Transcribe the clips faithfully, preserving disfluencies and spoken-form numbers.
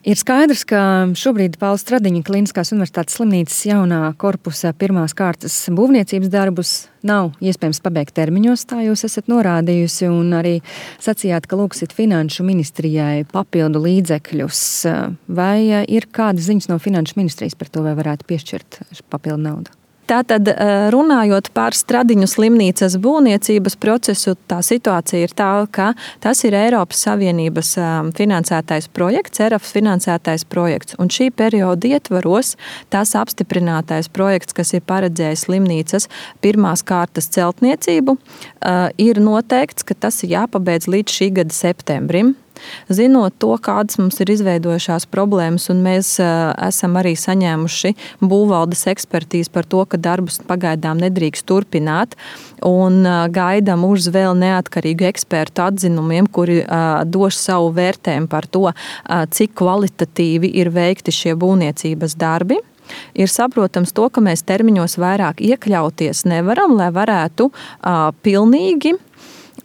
Ir skaidrs, ka šobrīd Paula Stradiņa Kliniskās universitātes slimnīcas jaunā korpusa pirmās kārtas būvniecības darbus nav iespējams pabeigt termiņos, tā jūs esat norādījusi, un arī sacījāt, ka lūgsit Finanšu ministrijai papildu līdzekļus. Vai ir kādas ziņas no Finanšu ministrijas par to, vai varētu piešķirt papildu naudu? Tātad, runājot par Stradiņu slimnīcas būvniecības procesu, tā situācija ir tā, ka tas ir Eiropas Savienības finansētais projekts, E R A F finansētais projekts. Un šī perioda ietvaros tas apstiprinātais projekts, kas ir paredzējis slimnīcas pirmās kārtas celtniecību, ir noteikts, ka tas ir jāpabeidz līdz šī gada septembrim. Zinot to, kādas mums ir izveidojušās problēmas, un mēs uh, esam arī saņēmuši būvvaldes ekspertīzi par to, ka darbus pagaidām nedrīkst turpināt, un uh, gaidām uz vēl neatkarīgu ekspertu atzinumiem, kuri uh, dos savu vērtējumu par to, uh, cik kvalitatīvi ir veikti šie būvniecības darbi. Ir saprotams to, ka mēs termiņos vairāk iekļauties nevaram, lai varētu uh, pilnīgi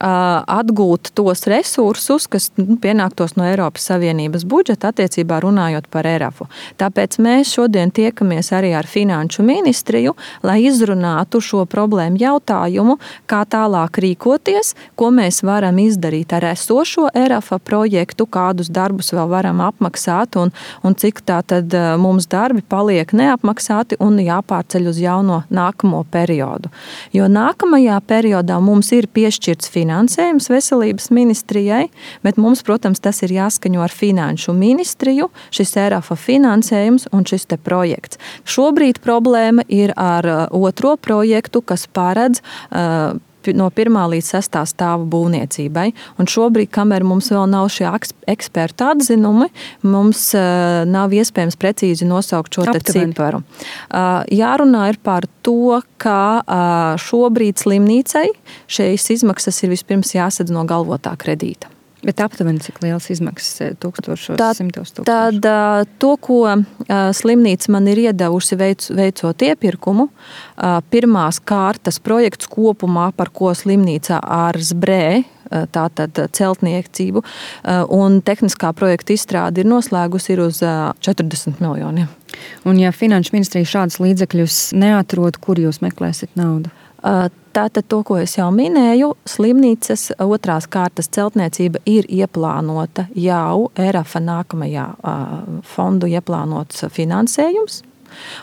atgūt tos resursus, kas pienāktos no Eiropas Savienības budžeta attiecībā runājot par E R A F-u. Tāpēc mēs šodien tiekamies arī ar Finanšu ministriju, lai izrunātu šo problēmu jautājumu, kā tālāk rīkoties, ko mēs varam izdarīt ar esošo E R A F projektu, kādus darbus vēl varam apmaksāt un, un cik tā tad mums darbi paliek neapmaksāti un jāpārceļ uz jauno nākamo periodu. Jo nākamajā periodā mums ir piešķirts finansējums, finansējums veselības ministrijai, bet mums, protams, tas ir jāskaņo ar Finanšu ministriju, šis E R A F finansējums un šis te projekts. Šobrīd problēma ir ar otro projektu, kas paredz uh, no pirmā līdz sestā stāva būvniecībai. Un šobrīd, kamēr mums vēl nav šie ekspertu atzinumi, mums uh, nav iespējams precīzi nosaukt šo te ciparu. Uh, jārunā ir par to, ka uh, šobrīd slimnīcai šīs izmaksas ir vispirms jāsadz no galvotā kredīta. Bet aptuveni cik liels izmaksas tūkstošos, tā, simtos tūkstoši? Tad uh, to, ko uh, slimnīca man ir iedevusi veic, veicot iepirkumu, uh, pirmās kārtas projekts kopumā, par ko slimnīca ar zbrē, uh, tātad celtniecību uh, un tehniskā projekta izstrādi ir noslēgusi ir uz uh, četrdesmit miljoniem. Un ja Finanšu ministrija šādus līdzekļus neatrod, kur jūs meklēsiet naudu? Uh, Tātad to, ko es jau minēju, slimnīcas otrās kārtas celtniecība ir ieplānota jau E R A F nākamajā fondu ieplānots finansējums.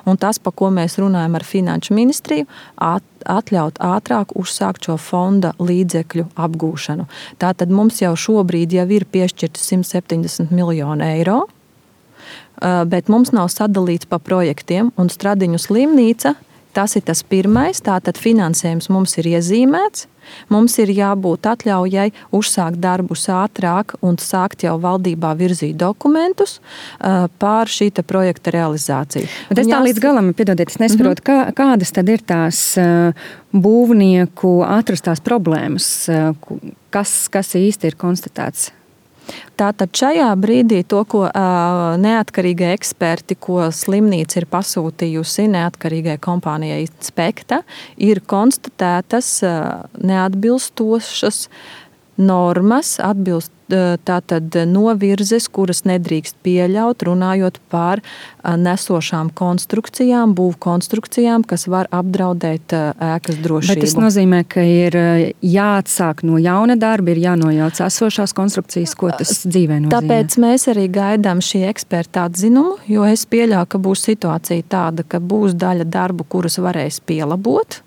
Un tas, pa ko mēs runājam ar Finanšu ministriju, atļaut ātrāk uzsākt šo fonda līdzekļu apgūšanu. Tātad mums jau šobrīd jau ir piešķirti simt septiņdesmit miljoni eiro, bet mums nav sadalīts pa projektiem, un Stradiņu slimnīca, tas ir tas pirmais, tātad finansējums mums ir iezīmēts, mums ir jābūt atļaujai uzsākt darbus ātrāk un sākt jau valdībā virzīt dokumentus uh, pār šī te projekta realizāciju. Bet es tā jās... līdz galam, piedodiet, es nesaprotu, mm-hmm. kā, kādas tad ir tās uh, būvnieku atrastās problēmas, uh, kas, kas īsti ir konstatēts? Tātad šajā brīdī to, ko uh, neatkarīgie eksperti, ko slimnīca ir pasūtījusi neatkarīgai kompānijai Spekta, ir konstatētas uh, neatbilstošas normas, atbilst tātad novirzes, kuras nedrīkst pieļaut, runājot par nesošām konstrukcijām, būvkonstrukcijām, kas var apdraudēt ēkas drošību. Bet tas nozīmē, ka ir jāatsāk no jauna darba, ir jānojauc esošās konstrukcijas, ko tas dzīvē nozīmē. Tāpēc mēs arī gaidām šī eksperta atzinumu, jo es pieļauju, ka būs situācija tāda, ka būs daļa darbu, kurus varēs pielabot.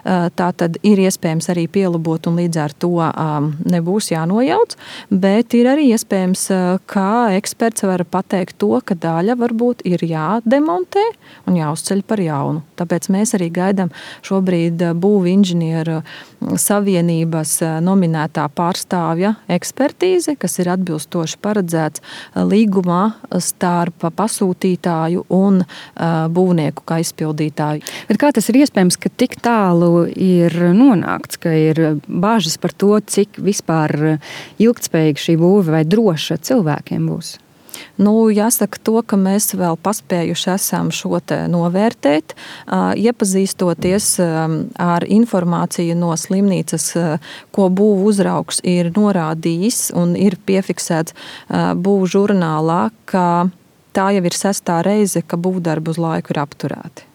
Tā tad ir iespējams arī pielabot un līdz ar to um, nebūs jānojauc, bet ir arī iespējams, kā eksperts var pateikt to, ka daļa varbūt ir jādemontē un jāuzceļ par jaunu. Tāpēc mēs arī gaidām šobrīd būvu inženieru savienības nominētā pārstāvja ekspertīze, kas ir atbilstoši paredzēts līgumā starp pasūtītāju un būvnieku kā izpildītāju. Bet kā tas ir iespējams, ka tik tālu ir nonākts, ka ir bāžas par to, cik vispār ilgtspējīga šī būve vai droša cilvēkiem būs? Nu, jāsaka to, ka mēs vēl paspējuši esam šo te novērtēt, iepazīstoties ar informāciju no slimnīcas, ko būvu uzraugs ir norādījis un ir piefiksēts būvu žurnālā, ka tā jau ir sestā reize, ka būvdarbi uz laiku ir apturēti.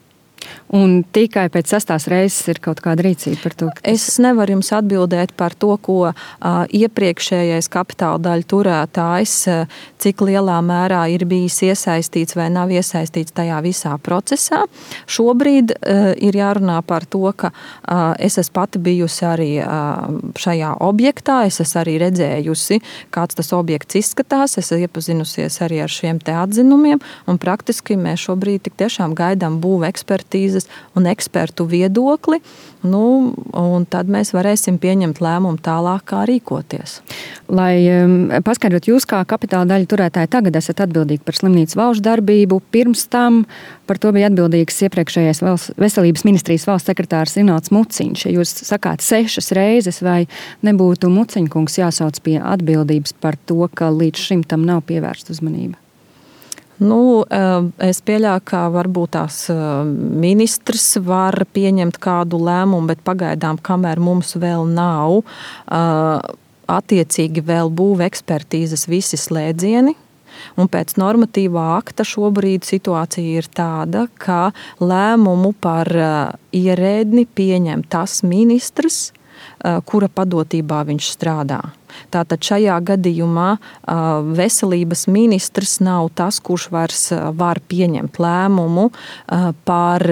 Un tikai pēc sastās reizes ir kaut kāda rīcība par to? Tas... Es nevaru jums atbildēt par to, ko uh, iepriekšējais kapitāla daļu turētājs, uh, cik lielā mērā ir bijis iesaistīts vai nav iesaistīts tajā visā procesā. Šobrīd uh, ir jārunā par to, ka uh, es esmu pati bijusi arī uh, šajā objektā, es esmu arī redzējusi, kāds tas objekts izskatās, es esmu iepazinusies arī ar šiem te atzinumiem, un praktiski mēs šobrīd tik tiešām gaidām būvu ekspertīzes un ekspertu viedokli, nu, un tad mēs varēsim pieņemt lēmumu tālāk, kā rīkoties. Lai um, paskaidrot, jūs kā kapitāla daļu turētāji tagad esat atbildīgi par slimnīcas valšu darbību, pirms tam par to bija atbildīgs iepriekšējais valsts, veselības ministrijas valsts sekretārs Rinalds Muciņš. Ja jūs sakāt sešas reizes, vai nebūtu Muciņkungs jāsauc pie atbildības par to, ka līdz šim tam nav pievērsta uzmanība? Nu, es pieļauju, ka varbūt tās ministrs var pieņemt kādu lēmumu, bet pagaidām, kamēr mums vēl nav attiecīgi vēl būvu ekspertīzes visi slēdzieni, un pēc normatīvā akta šobrīd situācija ir tāda, ka lēmumu par ierēdni pieņem tas ministrs, kura padotībā viņš strādā. Tātad šajā gadījumā veselības ministrs nav tas, kurš vairs var pieņemt lēmumu par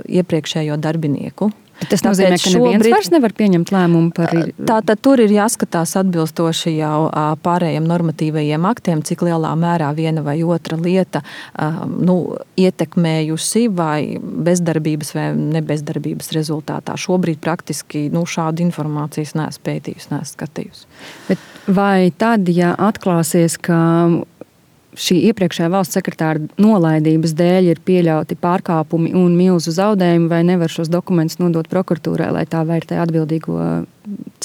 iepriekšējo darbinieku. Tas nozīmē, ka neviens šobrīd vairs nevar pieņemt lēmumu par... Tātad tur ir jāskatās atbilstoši jau pārējiem normatīvajiem aktiem, cik lielā mērā viena vai otra lieta nu, ietekmējusi vai bezdarbības vai nebezdarbības rezultātā. Šobrīd praktiski nu, šādu informācijas neesmu pētījusi, neesmu skatījusi. Bet vai tad, ja atklāsies, ka šī iepriekšējā valsts sekretāra nolaidības dēļ ir pieļauti pārkāpumi un milzu zaudējumi, vai nevar šos dokumentus nodot prokuratūrai, lai tā vērtē atbildīgo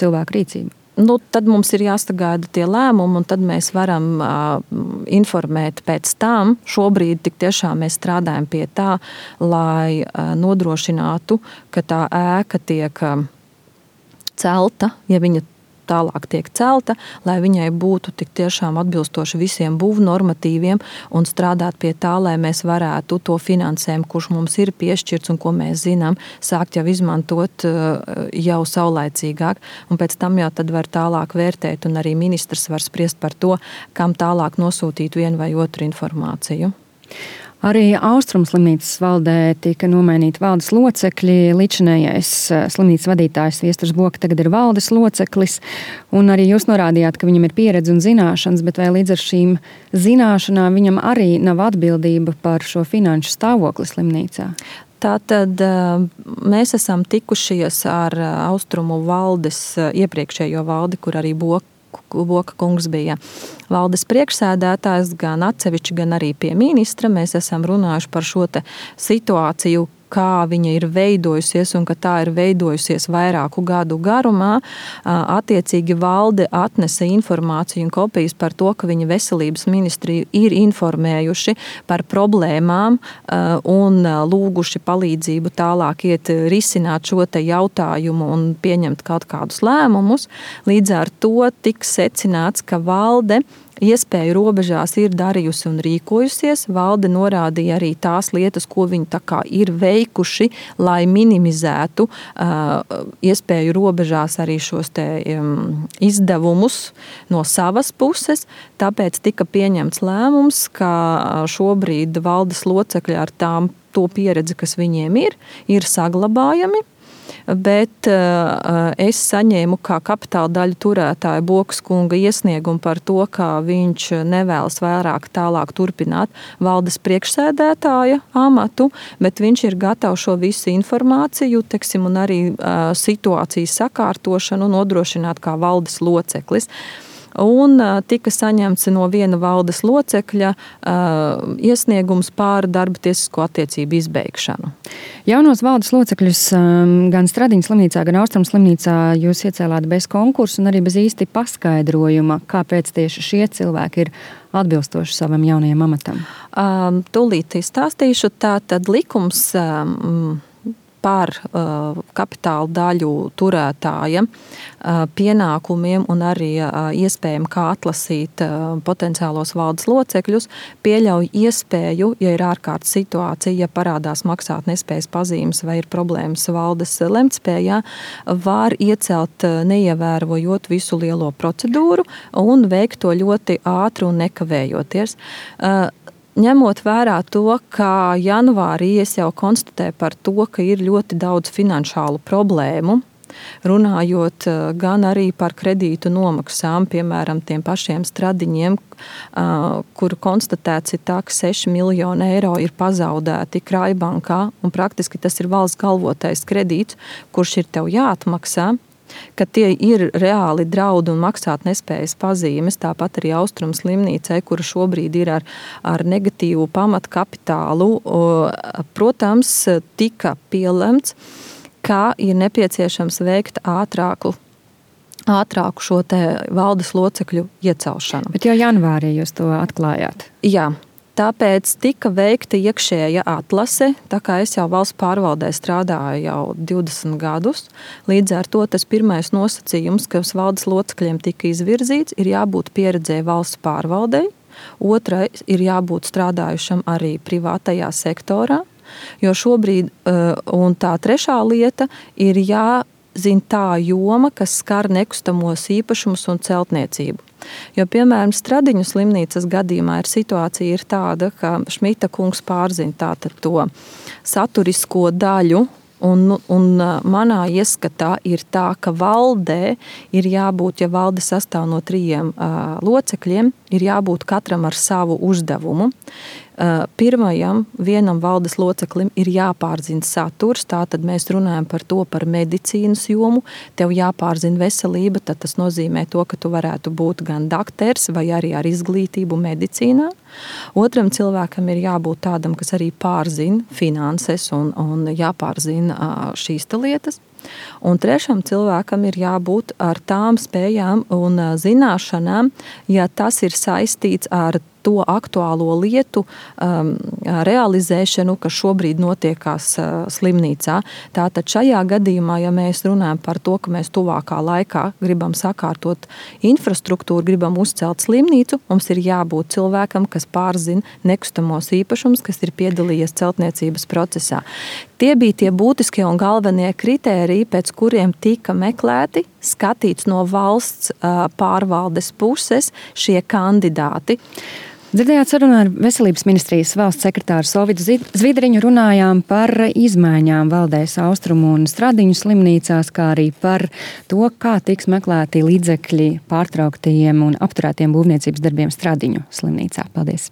cilvēku rīcību? Nu, tad mums ir jāsagaida tie lēmumi, un tad mēs varam uh, informēt pēc tam. Šobrīd tik tiešām mēs strādājam pie tā, lai uh, nodrošinātu, ka tā ēka tiek uh, celta, ja viņa tālāk tiek celta, lai viņai būtu tik tiešām atbilstoši visiem būvu normatīviem un strādāt pie tā, lai mēs varētu to finansējumu, kurš mums ir piešķirts un ko mēs zinām, sākt jau izmantot jau saulaicīgāk. Un pēc tam jau tad var tālāk vērtēt un arī ministrs var spriest par to, kam tālāk nosūtīt vienu vai otru informāciju. Arī Austrumu slimnīcas valdē tika nomainīti valdes locekļi. Līdzinējais slimnīcas vadītājs Viesturs Boka tagad ir valdes loceklis. Un arī jūs norādījāt, ka viņam ir pieredze un zināšanas, bet vai līdz ar šīm zināšanām viņam arī nav atbildība par šo finanšu stāvokli slimnīcā? Tātad mēs esam tikušies ar Austrumu valdes iepriekšējo valdi, kur arī Boka Boka kungs bija valdes priekšsēdētājs, gan atsevišķi, gan arī pie ministra. Mēs esam runājuši par šo te situāciju, kā viņa ir veidojusies un ka tā ir veidojusies vairāku gadu garumā. Attiecīgi valde atnesa informāciju un kopijas par to, ka viņa veselības ministriju ir informējuši par problēmām un lūguši palīdzību tālāk iet risināt šo te jautājumu un pieņemt kaut kādus lēmumus. Līdz ar to tiks secināts, ka valde iespēju robežās ir darījusi un rīkojusies. Valde norādīja arī tās lietas, ko viņi tā kā ir veikuši, lai minimizētu uh, iespēju robežās arī šos te um, izdevumus no savas puses. Tāpēc tika pieņemts lēmums, ka šobrīd valdes locekļi ar tām to pieredzi, kas viņiem ir, ir saglabājami. Bet uh, es saņēmu kā kapitāla daļu turētāja Bokas kunga iesniegumu par to, ka viņš nevēlas vairāk tālāk turpināt valdes priekšsēdētāja amatu, bet viņš ir gatavs šo visu informāciju, teksim, un arī uh, situācijas sakārtošanu nodrošināt kā valdes loceklis. un tika saņemts no viena valdes locekļa iesniegums pār darba tiesisko attiecību izbeigšanu. Jaunos valdes locekļus gan Stradiņas slimnīcā, gan Austrumu slimnīcā jūs iecēlāt bez konkursu un arī bez īsti paskaidrojuma, kāpēc tieši šie cilvēki ir atbilstoši savam jaunajam amatam. Tūlīt izstāstīšu, tātad likums par uh, kapitāla daļu turētāja uh, pienākumiem un arī uh, iespējami, kā atlasīt uh, potenciālos valdes locekļus, pieļauj iespēju, ja ir ārkārtas situācija, ja parādās maksāt nespējas pazīmes vai ir problēmas valdes lemtspējā, var iecelt uh, neievērojot visu lielo procedūru un veikt to ļoti ātri un nekavējoties. Uh, Ņemot vērā to, ka janvārī es jau konstatēju par to, ka ir ļoti daudz finanšālu problēmu, runājot gan arī par kredītu nomaksām, piemēram, tiem pašiem Stradiņiem, kuru konstatēts ir tā, ka seši miljoni eiro ir pazaudēti Krājbankā, un praktiski tas ir valsts galvotais kredīts, kurš ir tev jāatmaksā, ka tie ir reāli draudi un maksāt nespējas pazīmes, tāpat arī Austrumu slimnīcai, kura šobrīd ir ar, ar negatīvu pamatkapitālu. Protams, tika pielemts, ka ir nepieciešams veikt ātrāku, ātrāku šo te valdes locekļu iecelšanu. Bet jau janvārī jūs to atklājāt? Jā. Tāpēc tika veikta iekšēja atlase, tā kā es jau valsts pārvaldē strādāju jau divdesmit gadus. Līdz ar to tas pirmais nosacījums, kas valdes locekļiem tika izvirzīts, ir jābūt pieredzēji valsts pārvaldei. Otrais ir jābūt strādājušam arī privātajā sektorā, jo šobrīd, un tā trešā lieta, ir jāzina tā joma, kas skar nekustamos īpašumus un celtniecību. Jo, piemēram, Stradiņu slimnīcas gadījumā ir situācija ir tāda, ka Šmita kungs pārzina tātad to saturisko daļu, un, un manā ieskatā ir tā, ka valdē ir jābūt, ja valde sastāv no trījiem uh, locekļiem, ir jābūt katram ar savu uzdevumu. Pirmajam, vienam valdes loceklim ir jāpārzina saturs, tātad mēs runājam par to, par medicīnas jomu, tev jāpārzina veselība, tad tas nozīmē to, ka tu varētu būt gan dakters vai arī ar izglītību medicīnā. Otram cilvēkam ir jābūt tādam, kas arī pārzina finanses un, un jāpārzina šīs lietas. Un trešam cilvēkam ir jābūt ar tām spējām un zināšanām, ja tas ir saistīts ar to aktuālo lietu um, realizēšanu, kas šobrīd notiekās uh, slimnīcā. Tātad šajā gadījumā, ja mēs runājam par to, ka mēs tuvākā laikā gribam sakārtot infrastruktūru, gribam uzcelt slimnīcu, mums ir jābūt cilvēkam, kas pārzina nekustamos īpašumus, kas ir piedalījies celtniecības procesā. Tie bija tie būtiskie un galvenie kritēriji, pēc kuriem tika meklēti, skatīts no valsts uh, pārvaldes puses šie kandidāti. Dzirdējāt sarunu ar Veselības ministrijas valsts sekretāru Solvitu Zvidriņu, runājām par izmaiņām valdēs Austrumu un Stradiņu slimnīcās, kā arī par to, kā tiks meklēti līdzekļi pārtrauktajiem un apturētiem būvniecības darbiem Stradiņu slimnīcā. Paldies!